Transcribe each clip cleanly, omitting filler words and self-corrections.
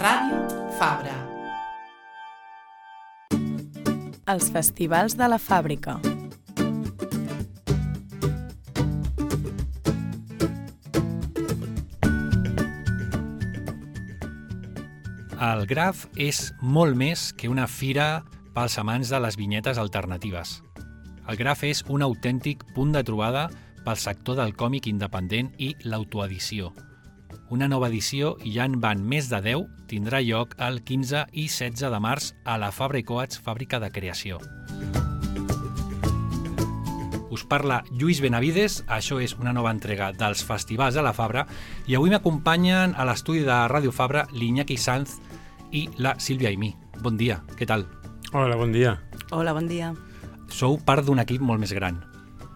Ràdio Fabra. Els festivals de la fàbrica. El Graf és molt més que una fira pels amants de les vinyetes alternatives. El Graf és un autèntic punt de trobada pel sector del còmic independent i l'autoedició. Una nova edició, i ja en van més de 10, tindrà lloc el 15 i 16 de març a la Fabra i Coats, fàbrica de creació. Us parla Lluís Benavides, això és una nova entrega dels festivals de la Fabra, i avui m'acompanyen a l'estudi de Ràdio Fabra l'Iñaki Sanz i la Sílvia Aimí. Bon dia, què tal? Hola, bon dia. Hola, bon dia. Sou part d'un equip molt més gran,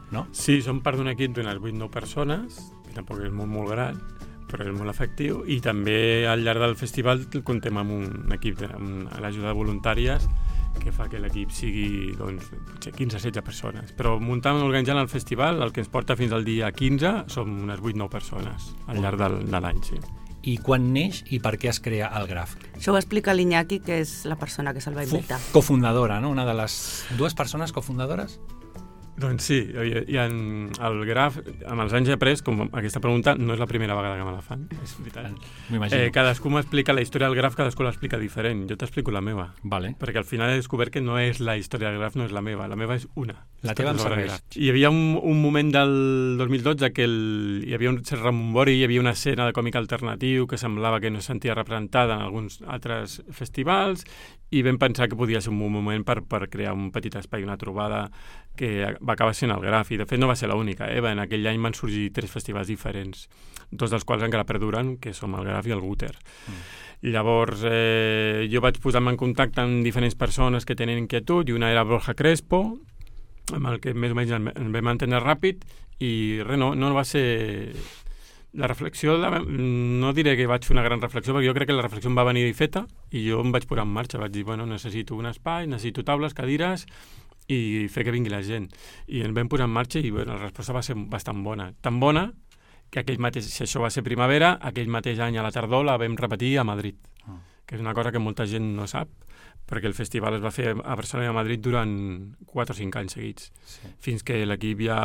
no? Sí, som part d'un equip d'unes 8-9 persones, que tampoc és molt gran, però és molt efectiu, i també al llarg del festival comptem amb un equip amb l'ajuda de voluntàries que fa que l'equip sigui potser 15-16 persones. Però muntant i organitzant el festival, el que ens porta fins al dia 15, som unes 8-9 persones al llarg de l'any, sí. I quan neix i per què es crea el Graf? Això ho explica l'Iñaki, que és la persona que se'l va inventar. Cofundadora, no? Una de les dues persones cofundadores? Doncs sí, i el Graf, amb els anys he après, com aquesta pregunta no és la primera vegada que me la fan, és veritat. M'imagino. Cadascú m'explica la història del Graf, cadascú l'explica diferent. Jo t'explico la meva. Vale. Perquè al final he descobert que no és la història del Graf, no és la meva és una. La teva em serveix. Hi havia un moment del 2012 que hi havia un cert rebombori, hi havia una escena de còmic alternatiu que semblava que no es sentia representada en alguns altres festivals, i vam pensar que podia ser un moment per crear un petit espai, una trobada que va acabar sent el Graf, i de fet no va ser l'única. En aquell any van sorgir 3 festivals diferents, 2 dels quals encara perduren, que som el Graf i el Guter. Llavors jo vaig posar-me en contacte amb diferents persones que tenen inquietud, i una era Borja Crespo, amb el que més o menys ens vam entendre ràpid, i res, no va ser... La reflexió, no diré que vaig fer una gran reflexió, perquè jo crec que la reflexió em va venir feta, i jo em vaig posar en marxa, vaig dir, necessito un espai, necessito taules, cadires, i fer que vingui la gent. I ens vam posar en marxa, i la resposta va ser bastant bona. Tan bona que si això va ser primavera, aquell mateix any a la tardor la vam repetir a Madrid, que és una cosa que molta gent no sap, perquè el festival es va fer a Barcelona i a Madrid durant 4 o 5 anys seguits, fins que l'equip ja...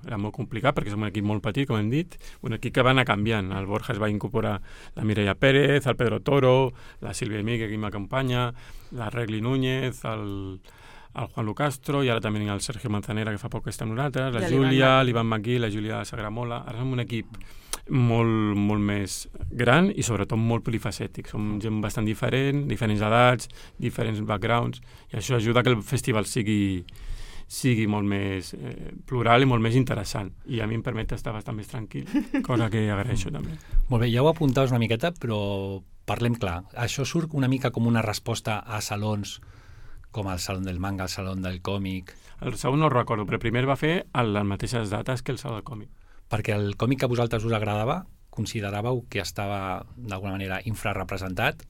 era molt complicat, perquè som un equip molt petit, com hem dit, un equip que va anar canviant. El Borja es va incorporar la Mireia Pérez, el Pedro Toro, la Sílvia Aimí, que aquí m'acompanya, la Regli Núñez, el Juan Lucastro, i ara també el Sergio Manzanera, que fa poc que està amb nosaltres, la Júlia, l'Ivan Maquí, la Júlia Sagramola. Ara som un equip molt més gran i sobretot molt polifacètic. Som gent bastant diferent, diferents edats, diferents backgrounds, i això ajuda que el festival sigui molt més plural i molt més interessant. I a mi em permet estar bastant més tranquil, cosa que agraeixo també. Molt bé, ja ho apuntaves una miqueta, però parlem clar. Això surt una mica com una resposta a salons com el Saló del Manga, el Saló del Còmic... El segon no ho recordo, però primer va fer a les mateixes dates que el Saló del Còmic. Perquè el còmic que a vosaltres us agradava, consideràveu que estava d'alguna manera infrarrepresentat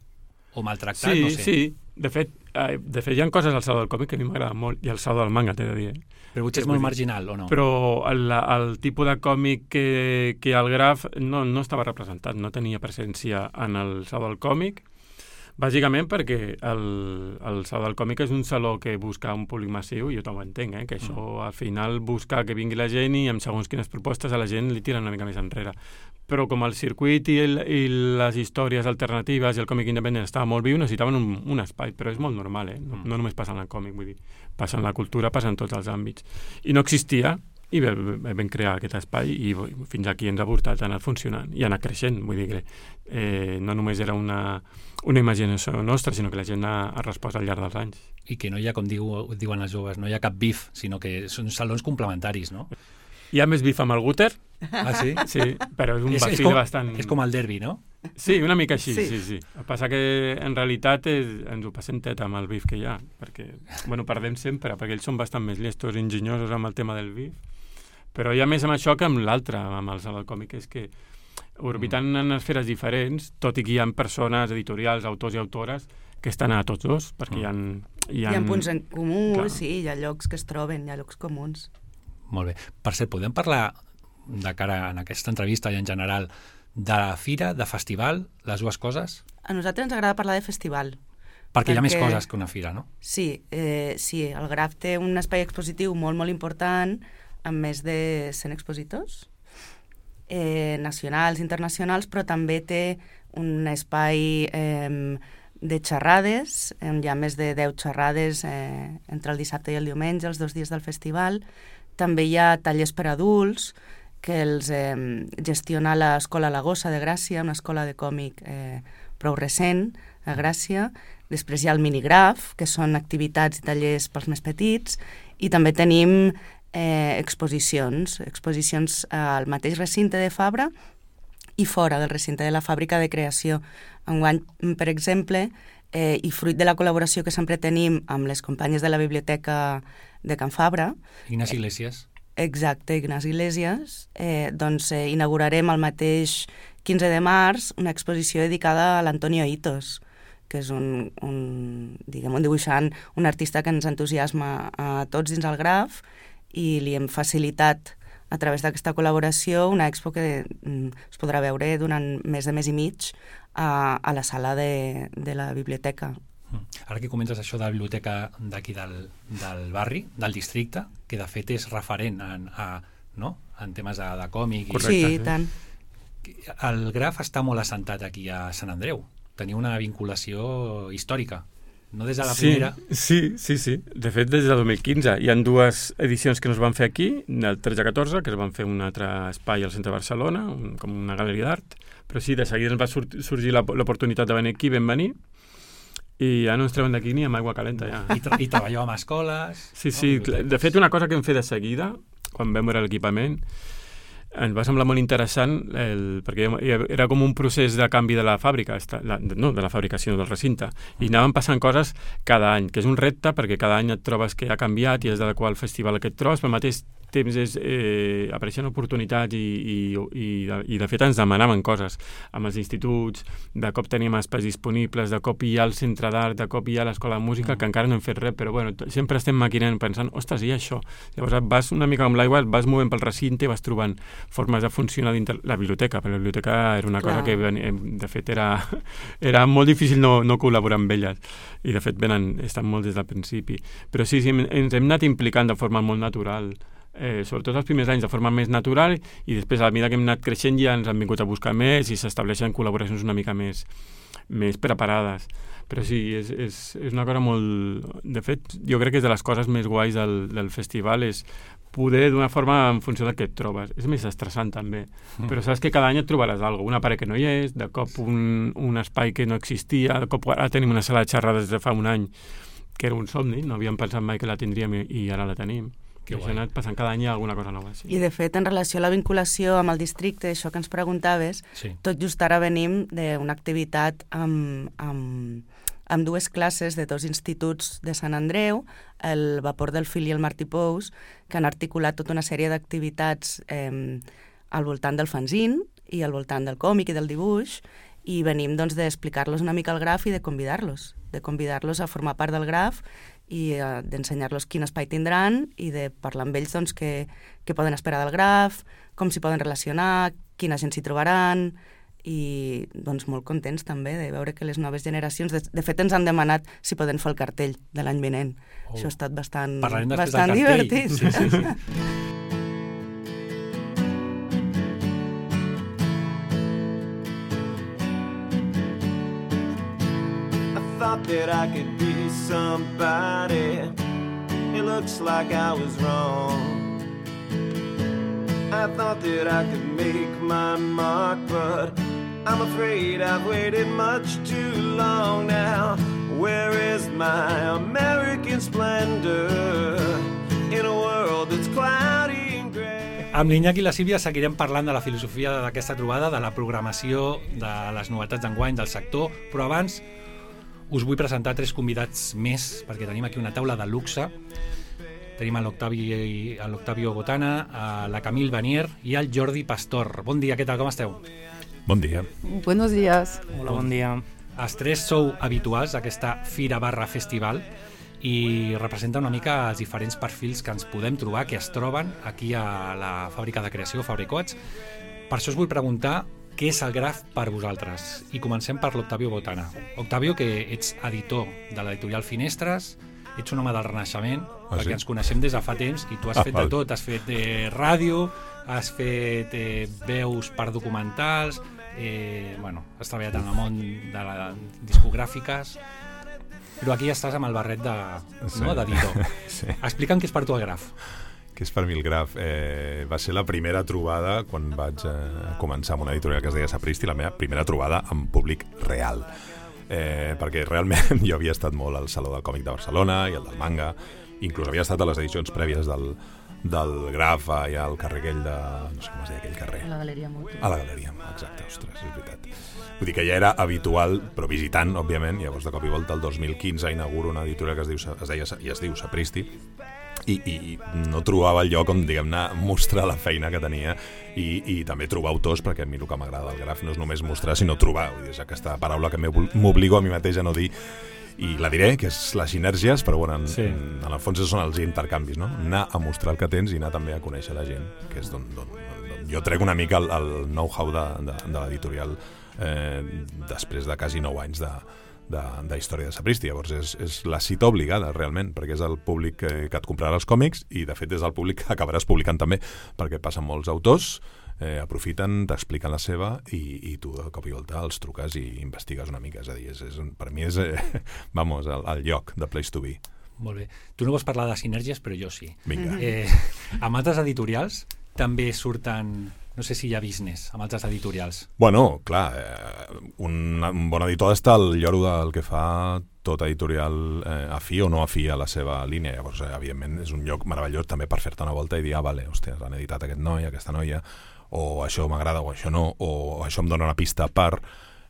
o maltractat? Sí, no sé. sí. De fet, hi ha coses al Saló del Còmic que a mi m'agrada molt, i al Saló del Manga, t'he de dir. Però potser és molt marginal, o no? Però el tipus de còmic que el Graf no estava representat, no tenia presència en el Saló del Còmic, bàsicament perquè el Saló del Còmic és un saló que busca un públic massiu, i jo també ho entenc, que això al final busca que vingui la gent, i amb segons quines propostes a la gent li tiren una mica més enrere. Però com el circuit i les històries alternatives i el còmic independent estava molt viu, necessitaven un espai, però és molt normal, no només passa en el còmic, vull dir, passa en la cultura, passa en tots els àmbits. I no existia, i vam crear aquest espai, i fins aquí ens ha portat, ha anat funcionant i ha anat creixent. Vull dir que no només era una imaginació nostra, sinó que la gent ha respost al llarg dels anys. I que no hi ha, com diuen els joves, no hi ha cap bif, sinó que són salons complementaris, no? Hi ha més bif amb el Guter. Ah, sí? Sí, però és un perfil bastant... És com el derbi, no? Sí, una mica així, sí. El que passa que en realitat ens ho passem teta amb el bif que hi ha, perquè, perdem sempre, perquè ells són bastant més llestos i enginyosos amb el tema del bif. Però hi ha més amb això que amb l'altre, amb el Saló del Còmic, és que orbitant en esferes diferents, tot i que hi ha persones, editorials, autors i autores, que estan a tots dos, perquè hi ha punts en comú, sí, hi ha llocs que es troben, hi ha llocs comuns. Molt bé. Per cert, podem parlar de cara en aquesta entrevista i en general de la fira, de festival, les dues coses? A nosaltres ens agrada parlar de festival. Perquè hi ha més coses que una fira, no? Sí, el Graf té un espai expositiu molt, molt important, amb més de 100 expositors, nacionals, internacionals, però també té un espai de xerrades, hi ha més de 10 xerrades entre el dissabte i el diumenge, els 2 dies del festival. També hi ha tallers per adults, que els gestiona l'Escola La Gossa de Gràcia, una escola de còmic prou recent a Gràcia. Després hi ha el minigraf, que són activitats i tallers pels més petits, i també tenim exposicions al mateix recinte de Fabra i fora del recinte de la fàbrica de creació. Enguany, per exemple, i fruit de la col·laboració que sempre tenim amb les companyes de la Biblioteca de Can Fabra... Ignasi Iglesias. Exacte, Ignasi Iglesias. Doncs inaugurarem el mateix 15 de març una exposició dedicada a l'Antonio Hitos, que és un dibuixant, un artista que ens entusiasma a tots dins el Graf, i li hem facilitat a través d'aquesta col·laboració una expo que es podrà veure durant més de mes i mig a la sala de la biblioteca. Ara que comentes això de la biblioteca d'aquí del barri, del districte, que de fet és referent en temes de còmic. Correcte, sí, tant. El Graf està molt assentat aquí a Sant Andreu. Teniu una vinculació històrica. No des de la primera? Sí. De fet, des del 2015. Hi ha 2 edicions que no es van fer aquí, del 13-14, que es van fer un altre espai al centre de Barcelona, com una galeria d'art, però sí, de seguida ens va sorgir l'oportunitat de venir aquí, vam venir, i ja no ens treuen d'aquí ni amb aigua calenta. Ja. I treballeu amb escoles? Sí. De fet, una cosa que vam fer de seguida, quan vam veure l'equipament, ens va semblar molt interessant perquè era com un procés de canvi de la fàbrica, no de la fàbrica, sinó del recinte, i anaven passant coses cada any, que és un repte perquè cada any et trobes que ha canviat i has d'adequar el festival a aquest tros, però al mateix temps apareixen oportunitats i de fet ens demanaven coses amb els instituts, de cop teníem espais disponibles, de cop hi ha el centre d'art, de cop hi ha l'escola de música, que encara no hem fet res, però bueno, sempre estem maquinant pensant, ostres, i això? Llavors vas una mica amb l'aigua, vas movent pel recinte i vas trobant formes de funcionar dintre la biblioteca, perquè la biblioteca era una cosa que de fet era molt difícil no col·laborar amb elles, i de fet estan molt des del principi, però sí, ens hem anat implicant de forma molt natural, sobretot els primers anys de forma més natural, i després a la mida que hem anat creixent ja ens han vingut a buscar més i s'estableixen col·laboracions una mica més preparades. Però sí, és una cosa molt... De fet, jo crec que és de les coses més guais del festival, és poder d'una forma en funció del que et trobes. És més estressant també, però saps que cada any et trobaràs alguna cosa, una paret que no hi és, de cop un espai que no existia, de cop ara tenim una sala de xerrades des de fa un any que era un somni, no havíem pensat mai que la tindríem i ara la tenim. Que això ha anat passant cada any alguna cosa nova. Sí. I de fet, en relació a la vinculació amb el districte, això que ens preguntaves, tot just ara venim d'una activitat amb 2 classes de 2 instituts de Sant Andreu, el Vapor del Fil i el Martí Pous, que han articulat tota una sèrie d'activitats al voltant del fanzine i al voltant del còmic i del dibuix, i venim d'explicar-los una mica el Graf i de convidar-los a formar part del Graf i d'ensenyar-los quin espai tindran i de parlar amb ells què poden esperar del Graf, com s'hi poden relacionar, quina gent s'hi trobaran, i molt contents també de veure que les noves generacions... De fet, ens han demanat si poden fer el cartell de l'any vinent. Això ha estat bastant divertit. Sí. That I could be somebody. It looks like I was wrong. I thought that I could make my mark, but I'm afraid I've waited much too long now. Where is my American splendor in a world that's cloudy and grey? Amb l'Iñaki i la Sílvia seguirem parlant de la filosofia d'aquesta trobada, de la programació, de les novetats d'enguany, del sector, però abans us vull presentar 3 convidats més, perquè tenim aquí una taula de luxe. Tenim l'Octavio Botana, la Camille Vanier i el Jordi Pastor. Bon dia, què tal, com esteu? Bon dia. Buenos días. Hola, bon dia. Els 3 sou habituals d'aquesta fira/festival i representa una mica els diferents perfils que ens podem trobar, que es troben aquí a la fàbrica de creació, Fabricots. Per això us vull preguntar què és el graf per vosaltres? I comencem per l'Octavio Botana. Octavio, que ets editor de l'editorial Finestres, ets un home del Renaixement, perquè ens coneixem des de fa temps, i tu has fet de tot. Has fet ràdio, has fet veus per documentals, has treballat en el món de les discogràfiques, però aquí estàs amb el barret d'editor. Sí. Explica'm què és per tu el graf. Què és per mi el graf? Va ser la primera trobada quan vaig començar amb una editorial que es deia Sapristi, la meva primera trobada amb públic real. Perquè realment jo havia estat molt al Saló del Còmic de Barcelona i el del manga, inclús havia estat a les edicions prèvies del graf allà al carrer aquell de... no sé com es deia aquell carrer. A la Galeria Moto. A la Galeria, exacte, ostres, és veritat. Vull dir que ja era habitual, però visitant, òbviament. Llavors, de cop i volta, el 2015 inauguro una editorial que es diu Sapristi, i no trobava el lloc on, diguem-ne, mostrar la feina que tenia i també trobar autors, perquè a mi el que m'agrada del graf no és només mostrar, sinó trobar. Vull dir, és aquesta paraula que m'obligo a mi mateix a no dir, i la diré, que és les sinergies, però bueno, en el fons són els intercanvis, no? Anar a mostrar el que tens i anar també a conèixer la gent, que és d'on jo trec una mica el know-how de l'editorial després de quasi 9 anys de història de Sapristi. Llavors és la cita obligada realment, perquè és el públic que et comprarà els còmics i de fet és el públic que acabaràs publicant també, perquè passen molts autors, aprofiten, t'expliquen la seva i tu de cop i volta els truques i investigues una mica. És a dir, per mi és el lloc, the place to be. Molt bé. Tu no vols parlar de sinergies, però jo sí. Vinga. Amb altres editorials també surten... No sé si hi ha business amb altres editorials. Bueno, clar, un bon editor està al lloro del que fa tot editorial afí o no afí a la seva línia. Llavors, evidentment, és un lloc meravellós també per fer-te una volta i dir, vale, hòstia, han editat aquest noi, aquesta noia, o això m'agrada o això no, o això em dona una pista per...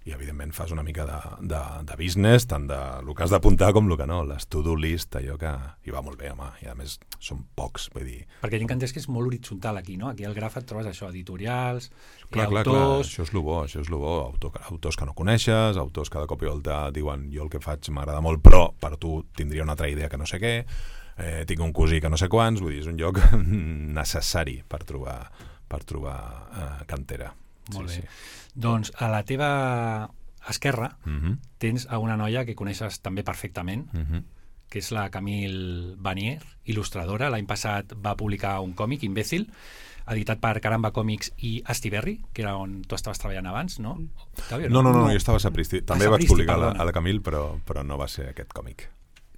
I, evidentment, fas una mica de business, tant de el que has d'apuntar com el que no, les to-do list, allò que... I va molt bé, home, i a més són pocs, vull dir... Perquè tinc entès que és molt horitzontal aquí, no? Aquí al graf et trobes això, editorials, clar, autors... Clar, això és el bo, autors que no coneixes, autors que de cop i volta diuen jo el que faig m'agrada molt, però per tu tindria una altra idea que no sé què, tinc un cosí que no sé quants, vull dir, és un lloc necessari per trobar cantera. Molt bé. Doncs a la teva esquerra tens a una noia que coneixes també perfectament, que és la Camille Vanier, il·lustradora. L'any passat va publicar un còmic, Imbécil, editat per Caramba Còmics i Astiberri, que era on tu estaves treballant abans, no? No, jo estava a Sapristi. També vaig publicar a la Camille, però no va ser aquest còmic.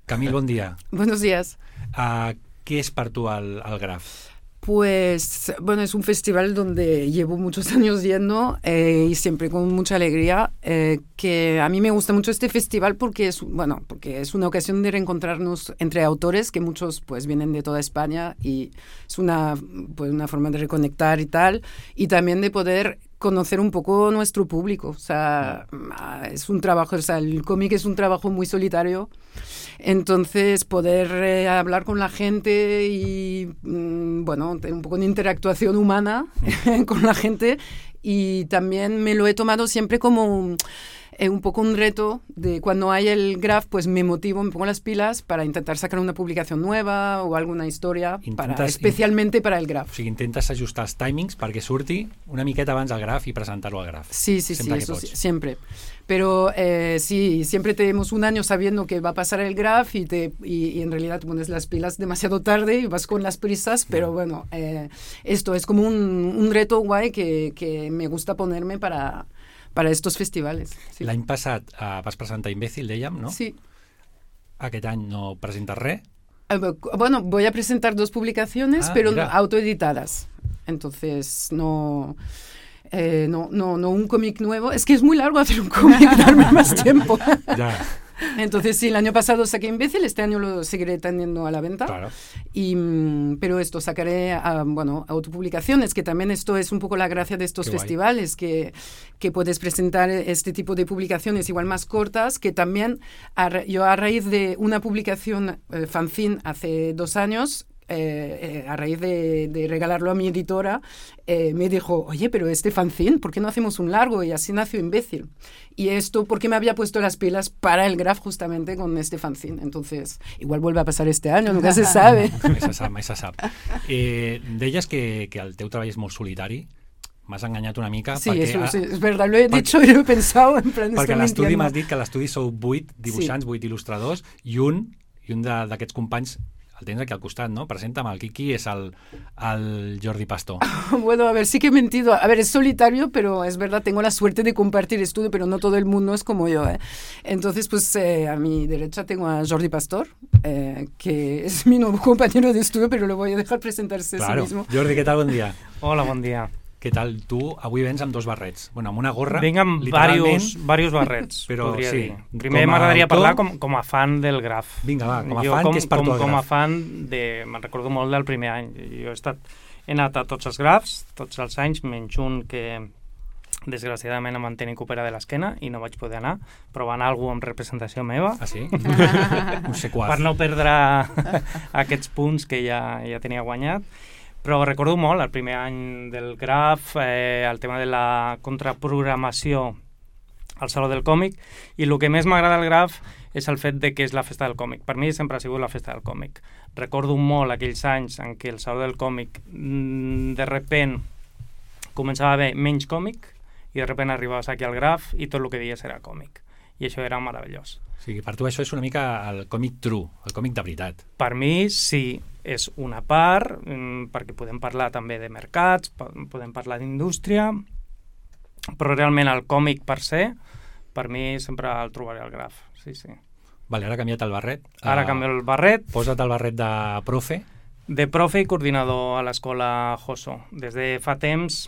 Camille, bon dia. Buenos días. Què és per tu el graf? Pues, bueno, es un festival donde llevo muchos años yendo y siempre con mucha alegría, que a mí me gusta mucho este festival porque es una ocasión de reencontrarnos entre autores que muchos pues vienen de toda España y es una forma de reconectar y tal, y también de poder conocer un poco nuestro público. O sea, es un trabajo, o sea, el cómic es un trabajo muy solitario, entonces poder hablar con la gente y tener un poco de interactuación humana con la gente, y también me lo he tomado siempre como un poco un reto de cuando hay el graf, pues me motivo, me pongo las pilas para intentar sacar una publicación nueva o alguna historia especialmente para el graf. O sigui, intentes ajustar els timings perquè surti una miqueta abans al graf i presentar-lo al graf. Sí, eso siempre. Pero sí, siempre tenemos un año sabiendo que va a pasar el graf y en realidad te pones las pilas demasiado tarde y vas con las prisas, pero bueno, esto es como un reto guay que me gusta ponerme para estos festivales. Sí. L'any passat vas presentar Imbécil, dèiem, no? Sí. Aquest any no presentes res? Bueno, voy a presentar 2 publicaciones, pero mira, autoeditadas. Entonces, no un cómic nuevo. Es que es muy largo hacer un cómic, darme más tiempo. Ya. Entonces, sí, el año pasado saqué Imbécil, este año lo seguiré teniendo a la venta. Claro. Pero sacaré autopublicaciones, que también esto es un poco la gracia de estos festivales, que puedes presentar este tipo de publicaciones igual más cortas, que también yo a raíz de una publicación fanzine hace 2 años, a raíz de regalarlo a mi editora, me dijo, oye, pero este fanzine, ¿por qué no hacemos un largo? Y así nació Imbécil. Y esto porque me había puesto las pilas para el graf justamente con este fanzine. Entonces, igual vuelve a pasar este año, nunca se sabe. Mai se sap. Deies que el teu treball és molt solitari. m'has enganyat una mica. Sí, eso sí, es verdad, lo he dicho y lo he pensado, en plan... Perquè a l'estudi m'has dit que a l'estudi sou 8 dibuixants, 8 il·lustradors, i un d'aquests companys el tens aquí al costat, ¿no? Presenta'm, el Quiqui és el Jordi Pastor. Bueno, a ver, sí que he mentido. A ver, es solitario, pero es verdad, tengo la suerte de compartir estudio, pero no todo el mundo es como yo, ¿eh? Entonces, pues a mi derecha tengo a Jordi Pastor, que es mi nuevo compañero de estudio, pero lo voy a dejar presentarse a sí mismo. Jordi, què tal? Bon dia. Hola, bon dia. Què tal? Tu avui vens amb 2 barrets. Bueno, amb una gorra, vinc amb diversos barrets, però, podria sí, dir. Primer m'agradaria parlar com a fan del graf. Vinga, va, com a fan, què és per tu el graf? Com a fan, me'n recordo molt del primer any. Jo he anat a tots els grafs, tots els anys, menys un que desgraciadament em van tenir que operar de l'esquena i no vaig poder anar, però va anar algú amb representació meva. Ah, sí? Un sequàs. Per no perdre aquests punts que ja tenia guanyat. Però recordo molt el primer any del graf, el tema de la contraprogramació al Saló del Còmic, i el que més m'agrada del graf és el fet de que és la festa del còmic. Per mi sempre ha sigut la festa del còmic. Recordo molt aquells anys en què el Saló del Còmic de repent començava a haver menys còmic i de repent arribaves aquí al graf i tot el que dies era còmic. I això era meravellós. O sigui, per tu això és una mica el còmic true, el còmic de veritat. Per mi sí, és una part, perquè podem parlar també de mercats, podem parlar d'indústria, però realment el còmic per se, per mi sempre el trobaré al graf. Sí, sí. Vale, ara ha canviat el barret. Ara canvio el barret. Posa't el barret de profe. De profe i coordinador a l'escola Joso. Des de fa temps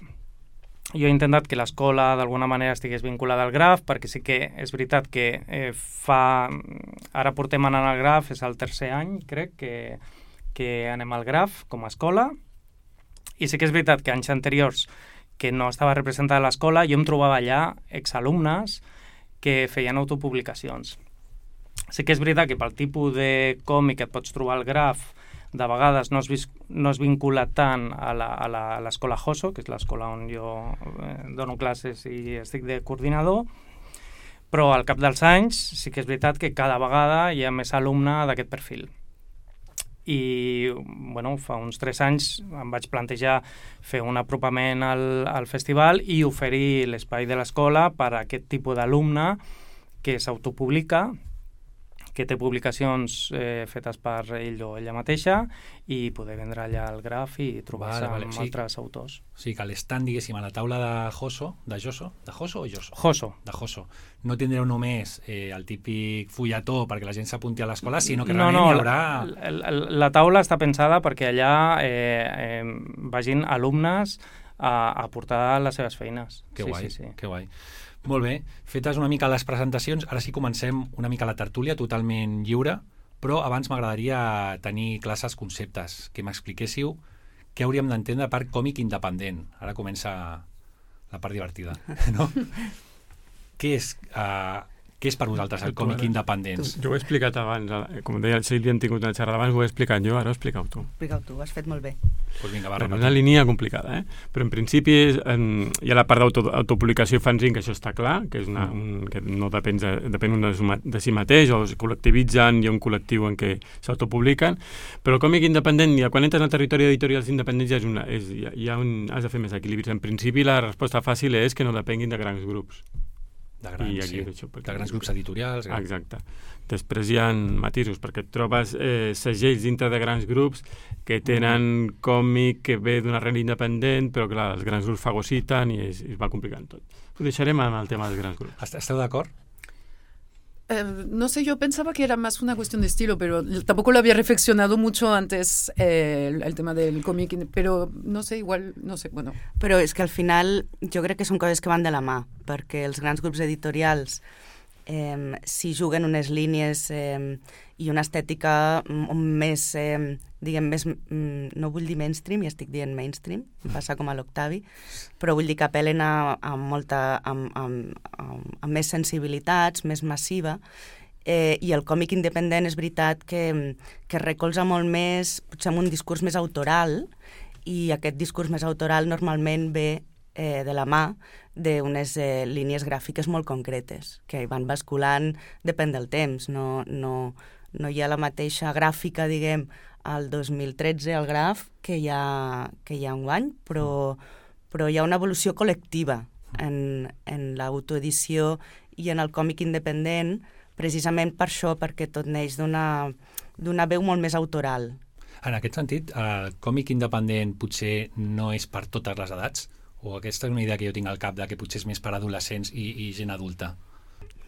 jo he intentat que l'escola d'alguna manera estigués vinculada al graf, perquè sí que és veritat que ara portem anant al graf, és el tercer any, crec, que anem al graf com a escola, i sí que és veritat que anys anteriors que no estava representada a l'escola, jo em trobava allà exalumnes que feien autopublicacions. Sí que és veritat que pel tipus de còmic que et pots trobar al graf, de vegades no es vincula tant a l'escola Joso, que és l'escola on jo dono classes i estic de coordinador, però al cap dels anys sí que és veritat que cada vegada hi ha més alumne d'aquest perfil. I bueno, fa uns 3 anys em vaig plantejar fer un apropament al festival i oferir l'espai de l'escola per a aquest tipus d'alumne que s'autopublica, que té publicacions fetes per ell o ella mateixa i poder vendre allà el graf i trobar-se amb altres autors. Sí, que l'estant, diguéssim, a la taula de Joso, de Joso o Joso? Joso. De Joso. No tindreu només el típic fulletó perquè la gent s'apunti a l'escola, sinó que realment hi haurà... La taula està pensada perquè allà vagin alumnes a portar les seves feines. Que guai, que guai. Molt bé, fetes una mica les presentacions, ara sí comencem una mica la tertúlia totalment lliure, però abans m'agradaria tenir classes conceptes, que m'expliquéssiu què hauríem d'entendre per còmic independent. Ara comença la part divertida, no? Què és per vosaltres el còmic independent? Jo ho he explicat abans, com deia el Sílvia, hem tingut una xerrada abans, ho he explicat jo, ara ho expliqueu tu. Expliqueu tu, ho has fet molt bé. Pues vinga, va, és una línia complicada, però en principi hi ha la part d'autopublicació i fanzine, que això està clar, que és que no depèn de si mateix, o es col·lectivitzen, hi ha un col·lectiu en què s'autopubliquen, però el còmic independent, quan entres al territori d'editorials independents, has de fer més equilibris. En principi la resposta fàcil és que no depenguin de grans grups. De grans grups editorials. Exacte. Després hi ha matisos, perquè et trobes segells dintre de grans grups que tenen còmic que ve d'una arrel independent, però clar, els grans grups fagociten i es va complicant tot. Ho deixarem amb el tema dels grans grups. Esteu d'acord? No sé, yo pensaba que era más una cuestión de estilo, pero tampoco lo había reflexionado mucho antes el tema del cómic, pero no sé, igual, no sé, bueno. Però és que al final jo crec que són coses que van de la mà, perquè els grans grups editorials si juguen unes línies i una estètica més, diguem, més, no vull dir mainstream, ja estic dient mainstream, em passa com a l'Octavi, però vull dir que apel·len amb més sensibilitats, més massiva, i el còmic independent és veritat que recolza molt més, potser amb un discurs més autoral, i aquest discurs més autoral normalment ve de la mà d'unes línies gràfiques molt concretes, que van basculant, depèn del temps, no hi ha la mateixa gràfica, diguem, al 2013 al graf que hi ha un any, però però hi ha una evolució col·lectiva en l'autoedició i en el còmic independent, precisament per això, perquè tot neix d'una veu molt més autoral. En aquest sentit, el còmic independent potser no és per totes les edats? O aquesta és una idea que jo tinc al cap, de que potser és més per adolescents i gent adulta?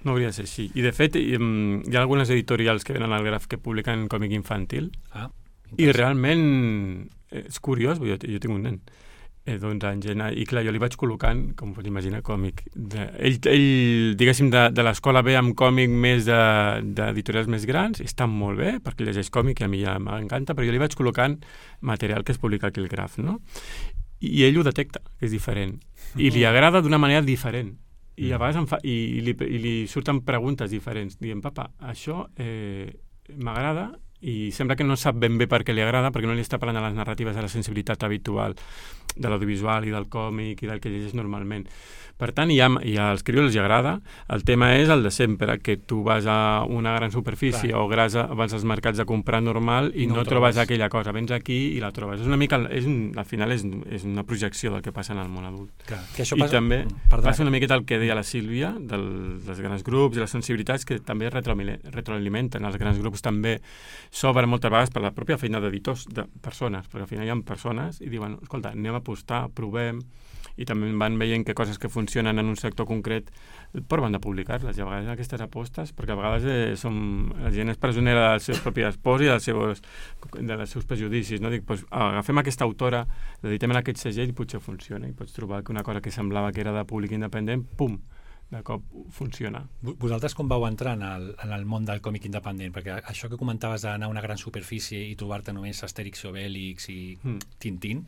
No hauria de ser així. I, de fet, hi ha algunes editorials que venen al Graf que publiquen còmic infantil. I realment és curiós, jo tinc un nen d'11 anys, i clar, jo li vaig col·locant, com pots imaginar, còmic. Ell diguéssim, de l'escola ve amb còmic més d'editorials més grans, i està molt bé, perquè llegeix còmic i a mi ja m'encanta, però jo li vaig col·locant material que es publica aquí al Graf, no? I ell ho detecta, que és diferent. I li agrada d'una manera diferent. I a vegades li surten preguntes diferents. Diem, papa, això m'agrada, i sembla que no sap ben bé per què li agrada, perquè no li està parlant a les narratives de la sensibilitat habitual de l'audiovisual i del còmic i del que llegeix normalment. Per tant, i als criolls els agrada. El tema és el de sempre, que tu vas a una gran superfície o vas als mercats a comprar normal i no trobes aquella cosa. Vens aquí i la trobes. És una mica, al final és una projecció del que passa en el món adult. Clar, que això I també passa una miqueta el que deia la Sílvia, dels grans grups i les sensibilitats que també retroalimenten. Els grans grups també s'obren moltes vegades per la pròpia feina d'editors, de persones, perquè al final hi ha persones i diuen, escolta, anem a apostar, provem, i també van veient que coses que funcionen en un sector concret proven de publicar-les, i a vegades aquestes apostes, perquè a vegades la gent és presonera dels seus propis pors i dels seus prejudicis, no? Dic, doncs, agafem aquesta autora, l'editem en aquest segell i potser funciona, i pots trobar que una cosa que semblava que era de públic independent, pum, de cop funciona. Vosaltres com vau entrar en el món del còmic independent? Perquè això que comentaves d'anar a una gran superfície i trobar-te només Astèrix i Obélix i Tintín,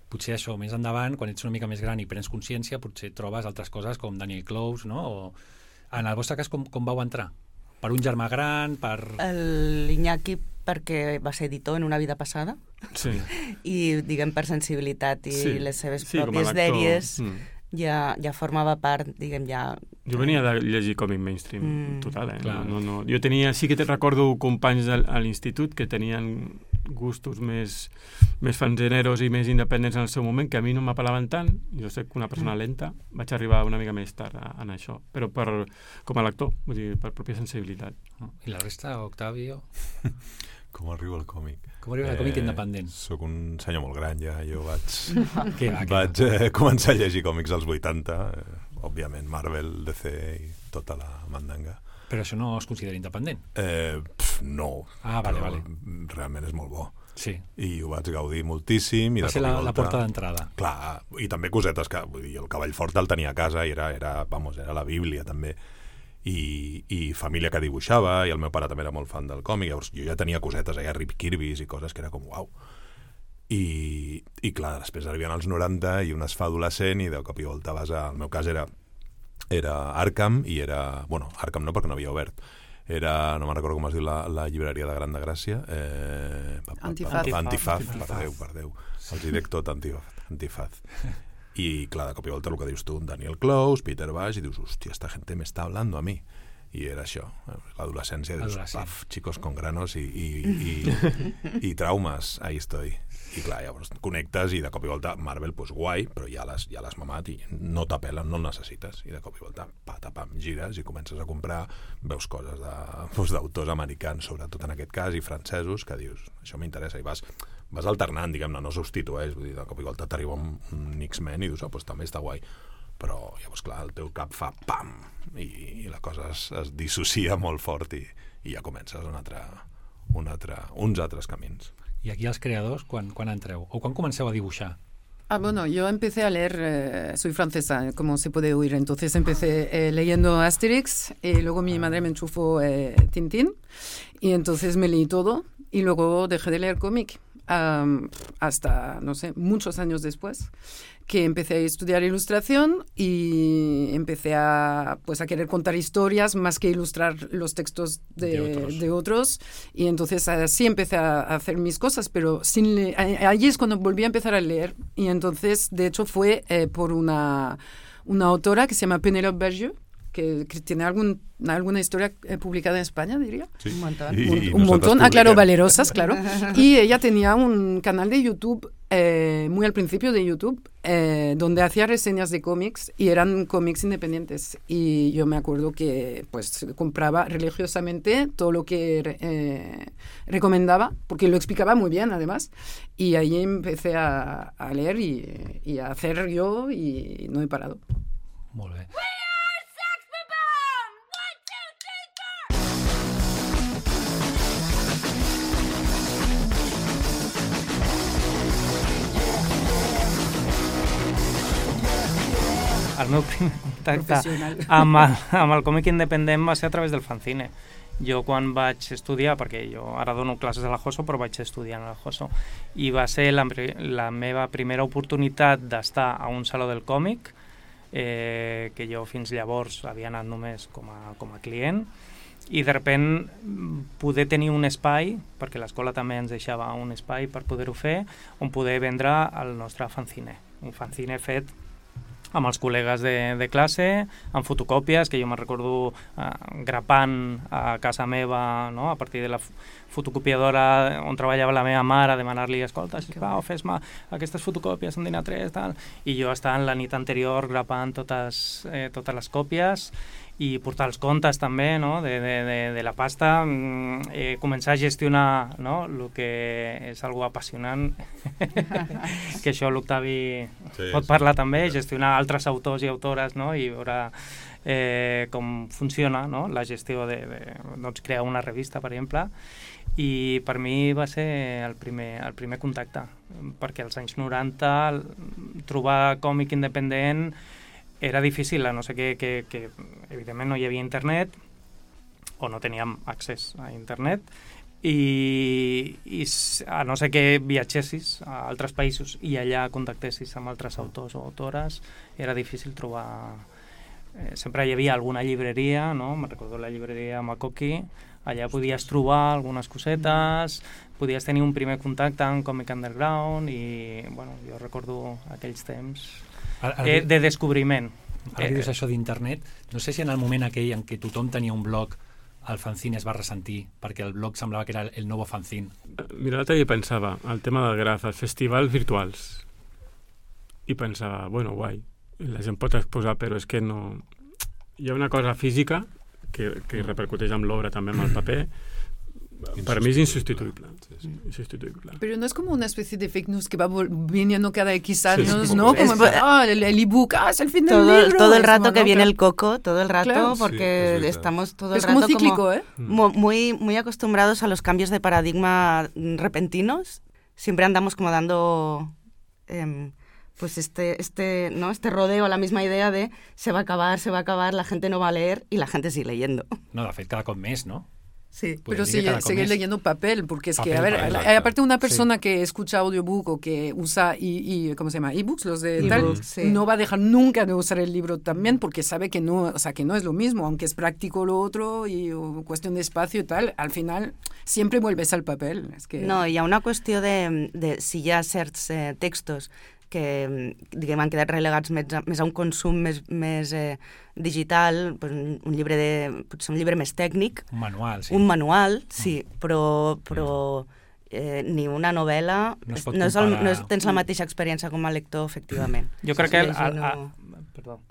potser això, més endavant, quan ets una mica més gran i prens consciència, potser trobes altres coses com Daniel Clowes, no? O, en el vostre cas, com vau entrar? Per un germà gran, per... L'Iñaki perquè va ser editor en una vida passada, sí. I, diguem, per sensibilitat i les seves pròpies dèries ja formava part, diguem, ja... Jo venia de llegir còmic mainstream, total, No. Jo tenia, sí que recordo companys a l'institut que tenien gustos més fanzineros i més independents en el seu moment, que a mi no m'apel·laven tant. Jo soc una persona lenta, vaig arribar una mica més tard en això, però com a lector, vull dir, per pròpia sensibilitat. I la resta, Octavio? Com arriba el còmic? Com arriba el còmic independent? Soc un senyor molt gran ja, jo vaig començar a llegir còmics als 80, òbviament Marvel, DC i tota la mandanga. Però això no es considera independent? No. Vale. Realment és molt bo. Sí. I ho vaig gaudir moltíssim. Va ser la porta d'entrada. Clar, i també cosetes que, vull dir, el Cavall Fort el tenia a casa i era la Bíblia també. I família que dibuixava, i el meu pare també era molt fan del còmic, llavors jo ja tenia cosetes allà, Rip Kirbys i coses que era com uau. I clar, després arriben als 90 i un es fa adolescent i de cop i volta vas al meu cas era Arkham i era... Bueno, Arkham no, perquè no havia obert. No me'n recordo com es diu la llibreria de Gran de Gràcia. Antifaz, per Déu. Els hi dic tot, Antifaz. I clar, de cop i volta el que dius tu, Daniel Clowes, Peter Bash, i dius, hòstia, esta gente me está hablando a mí. I era això, l'adolescència, dius, paf, chicos con granos i traumes, ahí estoy. I clar, llavors connectes i de cop i volta Marvel, pues guai, però ja l'has mamat i no t'apel·len, no el necessites. I de cop i volta, patapam, gires i comences a comprar, veus coses d'autors americans, sobretot en aquest cas, i francesos, que dius, això m'interessa, i vas alternant, diguem-ne, no substitueix, vull dir, de cop i volta t'arriba un X-Men i dius, pues també està guai. Però llavors, clar, el teu cap fa pam, i la cosa es dissocia molt fort i ja comences uns altres camins. I aquí els creadors, quan entreu? O quan comenceu a dibuixar? Bueno, yo empecé a leer, soy francesa, como se puede oír, entonces empecé leyendo Asterix y luego mi madre me enchufó Tintín y entonces me leí todo y luego dejé de leer cómic hasta, no sé, muchos años después, que empecé a estudiar ilustración y empecé a querer contar historias más que ilustrar los textos de otros. Y entonces así empecé a hacer mis cosas, pero allí es cuando volví a empezar a leer. Y entonces, de hecho, fue por una autora que se llama Pénélope Bergier, que tiene alguna historia publicada en España, diría. Sí. Un montón. Un montón. Claro, Valerosas, claro. Y ella tenía un canal de YouTube, muy al principio de YouTube, donde hacía reseñas de cómics y eran cómics independientes. Y yo me acuerdo que pues compraba religiosamente todo lo que recomendaba, porque lo explicaba muy bien además. Y ahí empecé a leer y a hacer yo y no he parado. Molt bé. El meu primer contacte amb el còmic independent va ser a través del fanzine. Jo quan vaig estudiar, perquè jo ara dono classes a la JOSO, però vaig estudiar a la JOSO, i va ser la meva primera oportunitat d'estar a un saló del còmic, que jo fins llavors havia anat només com a client, i de sobte poder tenir un espai, perquè l'escola també ens deixava un espai per poder-ho fer, on poder vendre el nostre fanzine. Un fanzine fet amb els col·legues de classe, amb fotocòpies, que jo me'n recordo grapant a casa meva, no? A partir de la fotocopiadora on treballava la meva mare, demanar-li, escolta, sisplau, fes-me aquestes fotocòpies en DIN-A3, tal. I jo estava la nit anterior grapant totes les còpies i portar els comptes també, no? de la pasta, començar a gestionar, no? El que és algo apassionant, que això l'Octavi pot parlar també, gestionar altres autors i autores, no? I veure com funciona, no? La gestió de doncs, crear una revista, per exemple, i per mi va ser el primer contacte, perquè als anys 90 trobar còmic independent era difícil, a no ser que evidentment no hi havia internet o no teníem accés a internet i a no ser que viatgessis a altres països i allà contactessis amb altres autors o autores, era difícil trobar. Sempre hi havia alguna llibreria, no? Me'n recordo la llibreria Makoki, allà podies trobar algunes cosetes, podies tenir un primer contacte amb Comic Underground i bueno, jo recordo aquells temps de descobriment. Ara que dius això d'internet, no sé si en el moment aquell en què tothom tenia un blog el fanzine es va ressentir, perquè el blog semblava que era el nou fanzine. Mira, l'altre dia pensava, el tema del graf, els festivals virtuals, i pensava, bueno, guai, la gent pot exposar, però és que no... Hi ha una cosa física que repercuteix amb l'obra, també amb el paper. Para mí es insustituible. Insustituible. Pero no es como una especie de fake news que va viniendo cada X años, ¿no? Como el ebook, es el fin del libro. Todo el rato que viene el coco, todo el rato, claro. Porque estamos todo el rato como cíclico, muy acostumbrados a los cambios de paradigma repentinos. Siempre andamos como dando pues este rodeo a la misma idea de se va a acabar, la gente no va a leer y la gente sigue leyendo. No, de fet, cada cop més, no? Sí, pero sigue leyendo papel, porque es que, a ver, aparte una persona que escucha audiobook o que usa ¿cómo se llama? Ebooks, los de tal, no va a dejar nunca de usar el libro también, porque sabe que no, o sea, que no es lo mismo, aunque es práctico lo otro y cuestión de espacio y tal, al final siempre vuelves al papel. Es que... No, hi ha una qüestió de si hi ha certs textos que diguem, han quedat relegats més a un consum més digital, un llibre potser un llibre més tècnic. Un manual, sí. Un manual, sí, però ni una novel·la no tens la mateixa experiència com a lector, efectivament. Jo crec que...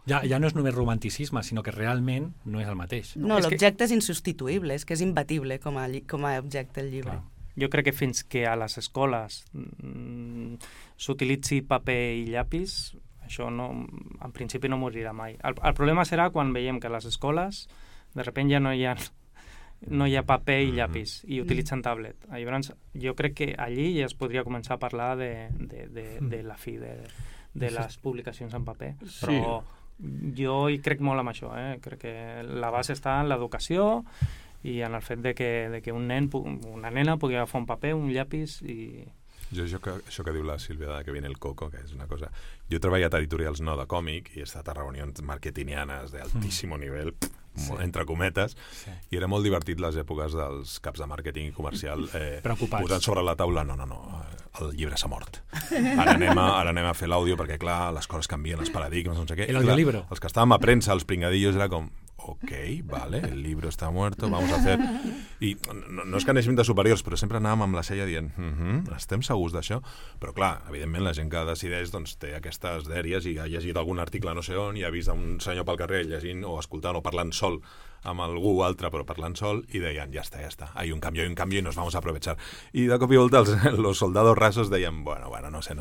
Ja no és només romanticisme, sinó que realment no és el mateix. No, l'objecte és insubstituïble, és que és imbatible com a objecte el llibre. Clar. Jo crec que fins que a les escoles s'utilitzi paper i llapis, això en principi no morirà mai. El problema serà quan veiem que a les escoles de sobte ja no hi ha paper i llapis i utilitzen tablet. Llavors, jo crec que allí ja es podria començar a parlar de la fi de les publicacions en paper. Però jo hi crec molt en això. Crec que la base està en l'educació i en el fet de que un nen, una nena pugui agafar un paper, un llapis i... Això que diu la Sílvia, que viene el coco, que és una cosa... Jo he treballat a editorials no de còmic i he estat a reunions marketingianes d'altíssim nivell, entre cometes, i era molt divertit les èpoques dels caps de màrqueting i comercial posant sobre la taula, no, el llibre s'ha mort. Ara anem a fer l'àudio perquè, clar, les coses canvien, els paradigmes, no sé què. El audiolibro. Els que estàvem a premsa, els pringadillos, era com... ok, vale, el libro está muerto, vamos a hacer... I no és que anéssim de superiors, però sempre anàvem amb la cella dient estem segurs d'això? Però clar, evidentment la gent que decideix doncs, té aquestes dèries i ha llegit algun article no sé on i ha vist un senyor pel carrer llegint o escoltant o parlant sol amb algú altre, però parlant sol, i deien, ja està, hay un cambio y nos vamos a aprovechar. I de cop i volta los soldados rasos deien, bueno, no sé.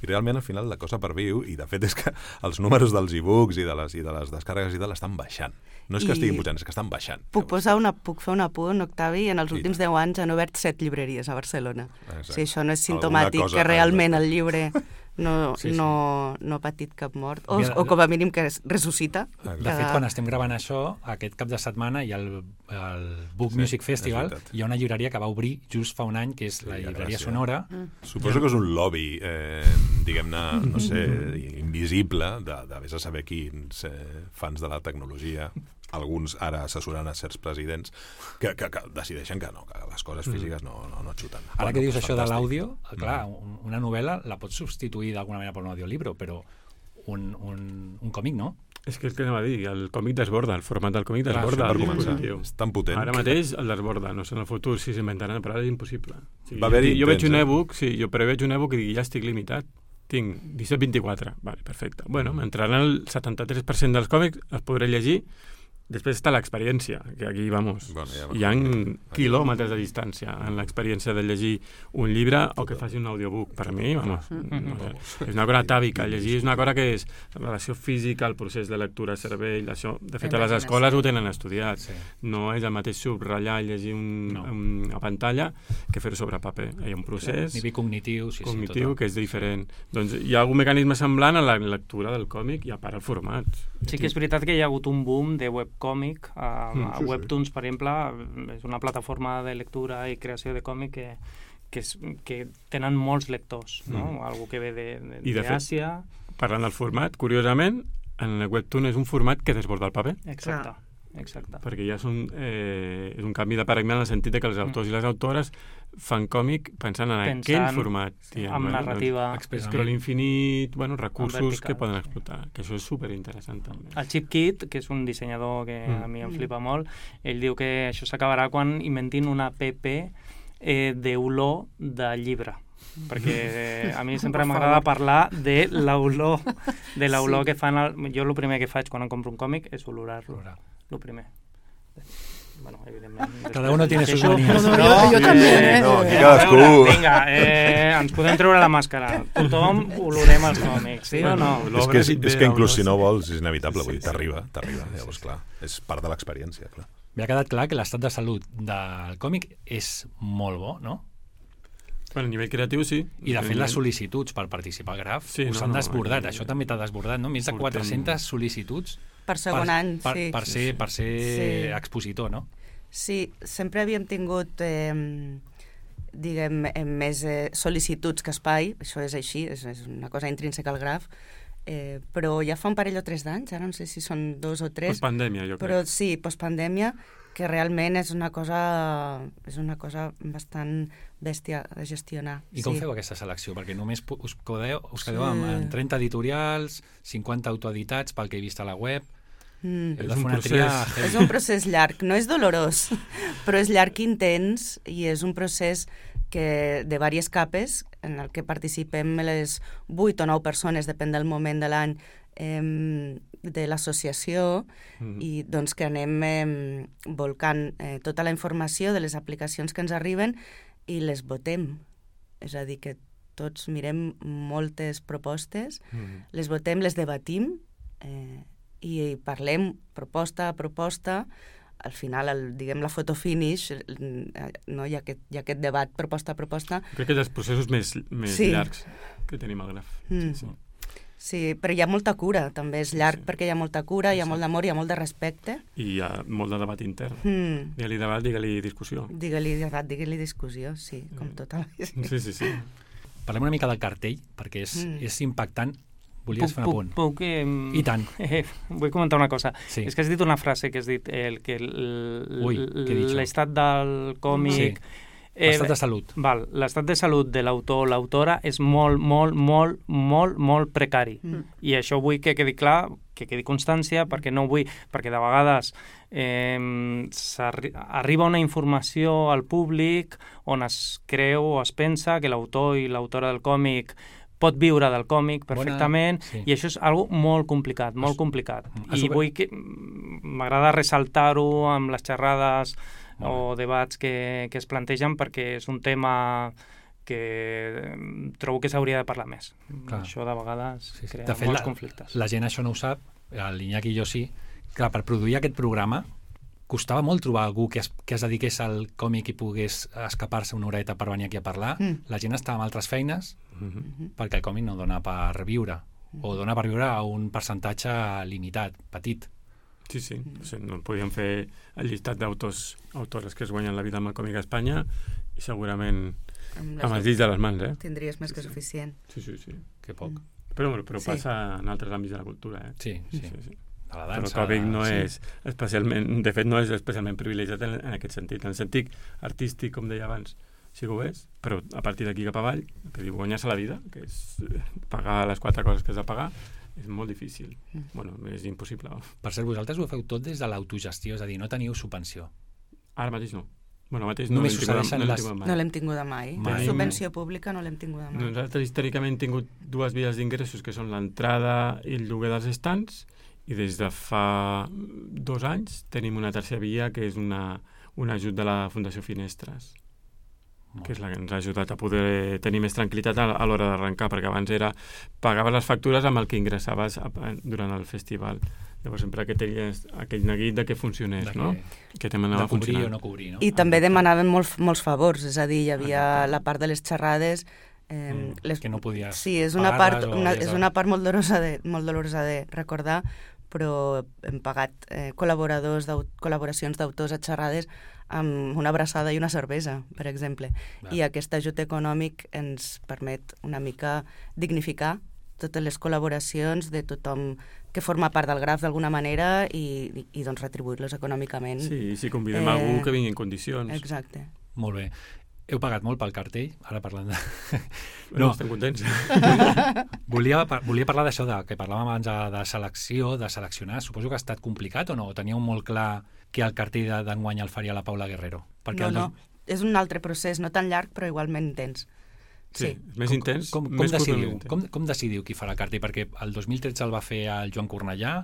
I realment, al final, la cosa perviu, i de fet és que els números dels e-books i de les descàrregues i tal estan baixant. No és que estiguin pujant, és que estan baixant. Puc fer un apunt, Octavi? En els últims 10 anys han obert 7 llibreries a Barcelona. Exacte. Si això no és simptomàtic que realment el llibre no ha patit cap mort, o com a mínim que ressuscita. De fet, quan estem gravant això, aquest cap de setmana hi ha el Book Music Festival, hi ha una llibreria que va obrir just fa un any, que és la llibreria Sonora. Suposo que és un lobby, diguem-ne, no sé, invisible, de vés a saber quins fans de la tecnologia, alguns ara assessorant a certs presidents, que decideixen que les coses físiques no xuten. Ara que dius això de l'àudio, clar, una novel·la la pots substituir d'alguna manera per un audiolibro, però un còmic no. És que anava a dir, el còmic desborda, el format del còmic desborda. Per començar, és tan potent. Ara mateix el desborda, no sé en el futur si s'inventaran, però ara és impossible. Jo veig un e-book, però veig un e-book i ja estic limitat. Tinc 17-24, vale, perfecte. Bueno, m'entraran el 73% dels còmics, els podré llegir. Després està l'experiència, que aquí, hi ha quilòmetres de distància en l'experiència de llegir un llibre o que faci un audiobook. Per mi, és una cosa atàvica. Llegir és una cosa que és la relació física, el procés de lectura, cervell, això. De fet, a les escoles ho tenen estudiat. No és el mateix subratllar i llegir a pantalla que fer-ho sobre paper. Hi ha un procés nivell cognitiu que és diferent. Doncs hi ha algun mecanisme semblant a la lectura del còmic i a part el format. Sí que és veritat que hi ha hagut un boom de webcòmic. A Webtoons, per exemple, és una plataforma de lectura i creació de còmic que tenen molts lectors, no? Algú que ve d'Àsia. Parlant del format, curiosament, en el Webtoon és un format que desborda el paper. Exacte. Perquè ja és un canvi de paradigma en el sentit que els autors i les autores fan còmic pensant en aquell format. Amb narrativa. Scroll infinit, recursos que poden explotar, que això és superinteressant també. El Chip Kid, que és un dissenyador que a mi em flipa molt, ell diu que això s'acabarà quan inventin una app d'olor de llibre. Perquè a mi sempre m'agrada parlar de l'olor que fan. Jo el primer que faig quan em compro un còmic és olorar-lo. Lo primer. Bueno, evidentment. Cada uno tiene sus manías. Jo també. Cadascú. Vinga, ens podem treure la màscara. Tothom olorem els còmics, sí o no? És que inclús si no vols és inevitable, vull dir, t'arriba. Llavors, clar, és part de l'experiència, clar. M'ha quedat clar que l'estat de salut del còmic és molt bo, no? A nivell creatiu, sí. I, de fet, les sol·licituds per participar al Graf s'han desbordat. Això també t'ha desbordat, no? Més de 400 sol·licituds per segon any, per ser expositor, no? Sí, sempre havíem tingut, més sol·licituds que espai, això és així, és una cosa intrínseca al Graf, però ja fa un parell o 3 d'anys, ara no sé si són 2 o 3. Postpandèmia, jo crec. Però sí, postpandèmia, que realment és una cosa bastant bèstia de gestionar. I com feu aquesta selecció? Perquè només us quedeu amb 30 editorials, 50 autoeditats pel que he vist a la web. És un procés llarg, no és dolorós, però és llarg i intens, i és un procés de diverses capes en el que participem les 8 o 9 persones, depèn del moment de l'any, de l'associació, i doncs que anem volcant tota la informació de les aplicacions que ens arriben i les votem. És a dir, que tots mirem moltes propostes, les votem, les debatim i parlem proposta a proposta. Al final, diguem, la foto finish, no? Hi ha aquest debat proposta a proposta. Crec que és els processos més llargs que tenim al Graf. Sí, però hi ha molta cura, també és llarg perquè hi ha molta cura, hi ha molt d'amor, hi ha molt de respecte. I hi ha molt de debat intern. Digue-li debat, digue-li discussió. Digue-li debat, digue-li discussió, sí, com tota la vida. Sí. Parlem una mica del cartell, perquè és impactant. Volies fer un apunt? Puc, I tant. Vull comentar una cosa. Sí. És que has dit una frase que has dit que l'estat del còmic L'estat de salut. Val, l'estat de salut de l'autor o l'autora és molt, molt, molt, molt, molt precari. I això vull que quedi clar, que quedi constància, perquè no vull... Perquè de vegades arriba una informació al públic on es creu o es pensa que l'autor i l'autora del còmic pot viure del còmic perfectament, i això és algo molt complicat, molt complicat. I vull que... M'agrada ressaltar-ho amb les xerrades o debats que es plantegen, perquè és un tema que trobo que s'hauria de parlar més. Clar. Això de vegades crea molts conflictes. La gent això no ho sap, l'Iñaki i jo sí. Clar, per produir aquest programa costava molt trobar algú que es dediqués al còmic i pogués escapar-se una horeta per venir aquí a parlar. La gent estava amb altres feines perquè el còmic no dona per viure, o dona per viure a un percentatge limitat, petit. Sí. No podíem fer el llistat d'autors, autores que es guanyen la vida amb el còmic a Espanya, i segurament amb els dits de les mans, Tindries més que suficient. Sí. Que poc. Però passa en altres àmbits de la cultura, Sí. De la dansa, però el còmic no és especialment, de fet no és especialment privilegiat en aquest sentit. En el sentit artístic, com deia abans, sí que ho és, però a partir d'aquí cap avall, que diu guanyar-se la vida, que és pagar les 4 coses que has de pagar, és molt difícil. Bueno, és impossible. Per cert, vosaltres ho feu tot des de l'autogestió, és a dir, no teniu subvenció. Ara mateix no. Bueno, mateix no l'hem tinguda mai. Subvenció pública no l'hem tinguda mai. Nosaltres històricament hem tingut 2 vies d'ingressos, que són l'entrada i el lloguer dels estants, i des de fa 2 anys tenim una tercera via, que és un ajut de la Fundació Finestres, que és la que ens ha ajudat a poder tenir més tranquil·litat a l'hora d'arrencar, perquè abans pagaves les factures amb el que ingressaves durant el festival. Llavors sempre que tenies aquell neguit de que funcionés, no? Que de cobrir o no cobrir, no? I també demanàvem molts favors, és a dir, hi havia la part de les xerrades... que no podies... Sí, és una part molt dolorosa de recordar, però hem pagat col·laboracions d'autors a xerrades amb una abraçada i una cervesa, per exemple. I aquest ajut econòmic ens permet una mica dignificar totes les col·laboracions de tothom que forma part del Graf d'alguna manera i doncs retribuir-los econòmicament. Sí, si convidem algú que vingui en condicions. Exacte. Molt bé. Heu pagat molt pel cartell, ara parlant de... No, estem contents. Volia parlar d'això, que parlàvem abans de selecció, de seleccionar. Suposo que ha estat complicat o no? O teníeu molt clar que el cartell d'enguany el faria la Paula Guerrero? No, és un altre procés, no tan llarg, però igualment intens. Sí, més intens. Com decidiu qui farà el cartell? Perquè el 2013 el va fer el Joan Cornellà,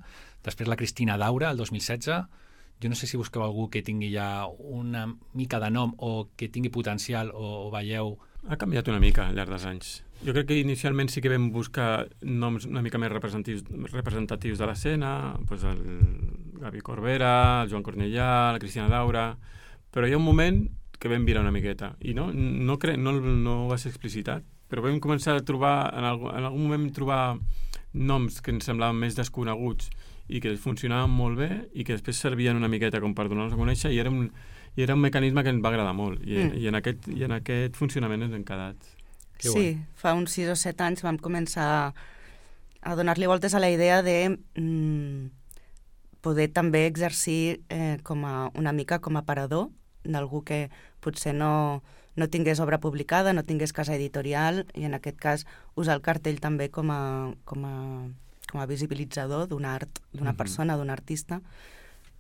després la Cristina Daura, el 2016... Jo no sé si busqueu algú que tingui ja una mica de nom o que tingui potencial o veieu... Ha canviat una mica al llarg dels anys. Jo crec que inicialment sí que vam buscar noms una mica més representatius de l'escena, doncs el Gavi Corbera, el Joan Cornellà, la Cristina Daura, però hi ha un moment que vam virar una miqueta i no va ser explicitat, però vam començar a trobar, en algun moment trobar noms que ens semblaven més desconeguts i que funcionaven molt bé i que després servien una miqueta com per donar-nos a conèixer, i era un mecanisme que ens va agradar molt i en aquest funcionament ens hem quedat. Sí, fa uns 6 o 7 anys vam començar a donar-li voltes a la idea de poder també exercir una mica com a parador d'algú que potser no tingués obra publicada, no tingués casa editorial, i en aquest cas usar el cartell també com a visibilitzador d'un art, d'una persona, d'un artista,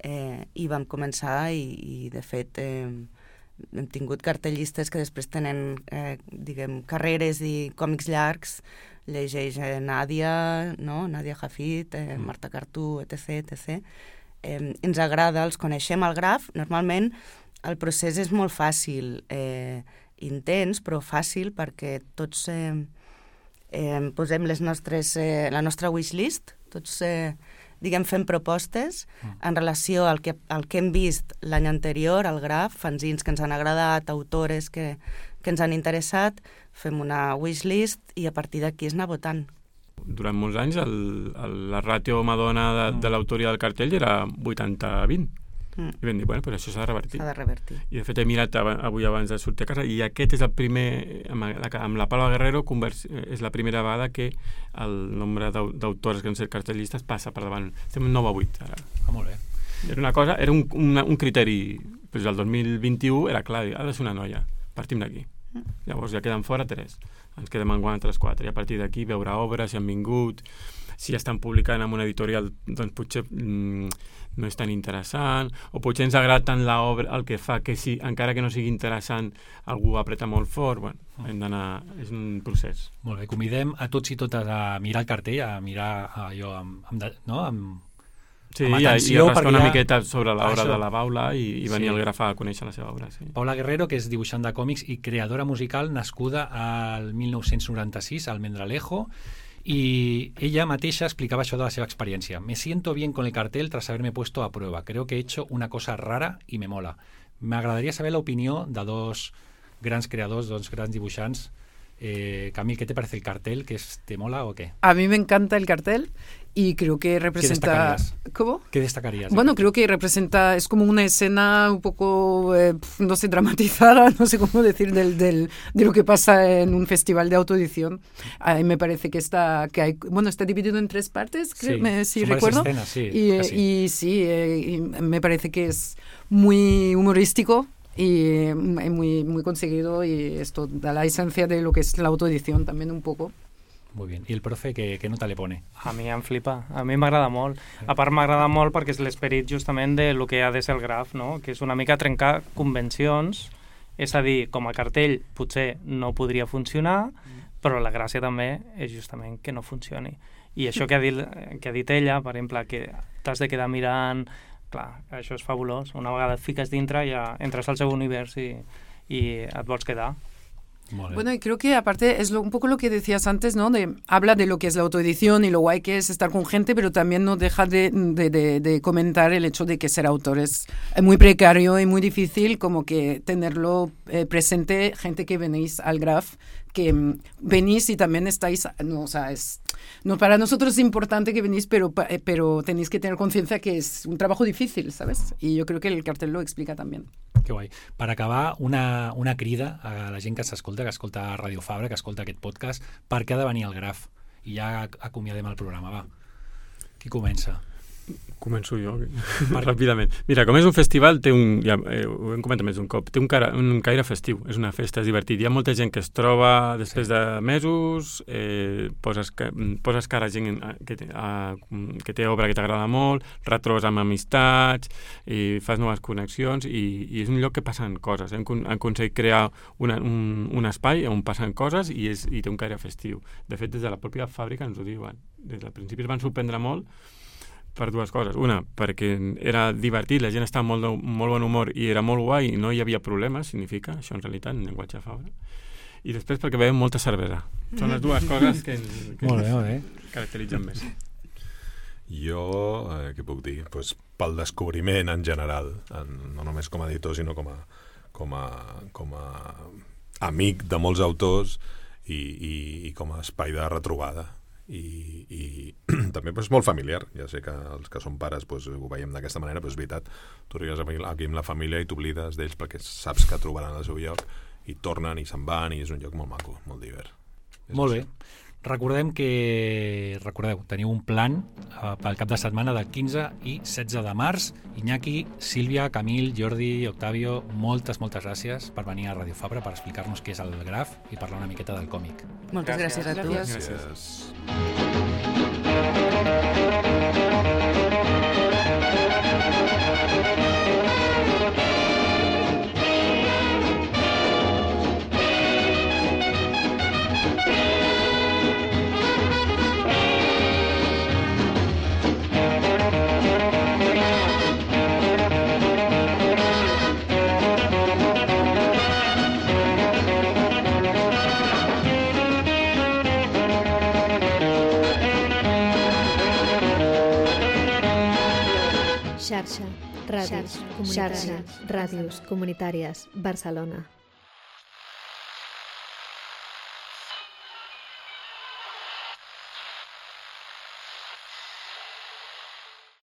i vam començar i de fet hem tingut cartellistes que després tenen carreres i còmics llargs, llegeix Nàdia, Nàdia Jafit, Marta Cartú, etc. Ens agrada, els coneixem al Graf. Normalment el procés és molt fàcil, intens, però fàcil, perquè tots posem la nostra wishlist, tots fem propostes en relació al que hem vist l'any anterior al Graf, fanzins que ens han agradat, autores que ens han interessat, fem una wishlist i a partir d'aquí es anar votant. Durant molts anys la ràtio home-dona de l'autoria del cartell era 80-20. I vam dir, però això s'ha de revertir. I de fet he mirat avui abans de sortir a casa, i aquest és el primer, amb la Paula Guerrero és la primera vegada que el nombre d'autores que han set cartellistes passa per davant. Estem 9-8 ara. Molt bé. Era una cosa, era un criteri, però el 2021 era clar, ha de ser una noia. Partim d'aquí. Llavors ja queden fora 3. Ens quedem enguany altres 4. I a partir d'aquí veure obres, si han vingut, si estan publicant en una editorial, doncs potser no és tan interessant, o potser ens agrada tant l'obra, el que fa, que si, encara que no sigui interessant, algú apreta molt fort. Bueno, hem d'anar... És un procés. Molt bé, convidem a tots i totes a mirar el cartell, a mirar allò amb Sí, i a rascar una miqueta sobre l'obra de la Paula i venir al Graf a conèixer la seva obra. Sí. Paula Guerrero, que és dibuixant de còmics i creadora musical, nascuda al 1996 al Mendralejo, y ella mateixa explicaba això de la seva experiencia. Me siento bien con el cartel tras haberme puesto a prueba. Creo que he hecho una cosa rara y me mola. Me agradaría saber la opinió de dos grans creadors, dos grans dibuixants. Camil, ¿qué te parece el cartel? ¿Te mola o qué? A mí me encanta el cartel y creo que representa... ¿Qué destacarías? ¿Cómo? ¿Qué destacarías? Bueno, creo que representa, es como una escena un poco, no sé, dramatizada, no sé cómo decir, de lo que pasa en un festival de autoedición. A mí me parece que está dividido en 3 partes, creo, si recuerdo. Escenas, sí, y sí, y me parece que es muy humorístico y muy, muy conseguido, y esto da la esencia de lo que es la autoedición también un poco. Muy bien. I el profe, què nota li pone? A mi em flipa. A mi m'agrada molt. A part, m'agrada molt perquè és l'esperit justament de lo que ha de ser el Graf, no? Que és una mica trencar convencions. És a dir, com a cartell potser no podria funcionar, però la gràcia també és justament que no funcioni. I això que ha dit ella, per exemple, que t'has de quedar mirant... Clar, això és fabulós. Una vegada et fiques dintre ja entres al seu univers i et vols quedar. Bueno, y creo que aparte es un poco lo que decías antes, ¿no? Habla de lo que es la autoedición y lo guay que es estar con gente, pero también no deja de comentar el hecho de que ser autor es muy precario y muy difícil, como que tenerlo presente, gente que venís al Graf, que venís y también estáis, no, o sea, para nosotros es importante que venís, pero tenéis que tener conciencia que es un trabajo difícil, ¿sabes? Y yo creo que el cartel lo explica también. Que guai. Per acabar, una crida a la gent que s'escolta, que escolta Radio Fabra, que escolta aquest podcast, per què ha de venir al Graf? I ja acomiadem el programa, va. Qui comença? Començo jo, ràpidament. Mira, com és un festival, ho hem comentat més d'un cop, té un caire festiu, és una festa, és divertit. Hi ha molta gent que es troba després de mesos, poses cara a gent que té obra que t'agrada molt, retrobes amb amistats, fas noves connexions i és un lloc que passen coses. Hem aconseguit crear un espai on passen coses i té un caire festiu. De fet, des de la pròpia fàbrica ens ho diuen. Des del principi es van sorprendre molt per 2 coses. Una, perquè era divertit, la gent estava molt bon humor i era molt guai i no hi havia problemes, significa, això en realitat, en llenguatge Fabra. I després perquè veiem molta cervesa. Són les 2 coses que ens caracteritzen més. Jo, què puc dir? Pues, pel descobriment en general, no només com a editor, sinó com a amic de molts autors i com a espai de retrobada. I també és molt familiar. Ja sé que els que són pares ho veiem d'aquesta manera, però és veritat, tu arribes aquí amb la família i t'oblides d'ells perquè saps que trobaran el seu lloc i tornen i se'n van i és un lloc molt maco, molt divert. Molt bé. Recordeu, teniu un plan pel cap de setmana del 15 i 16 de març. Iñaki, Sílvia, Camil, Jordi, Octavio, moltes gràcies per venir a Radio Fabra per explicar-nos què és el Graf i parlar una miqueta del còmic. Moltes gràcies a tu. Gràcies. Xarxa, ràdios comunitàries, Barcelona.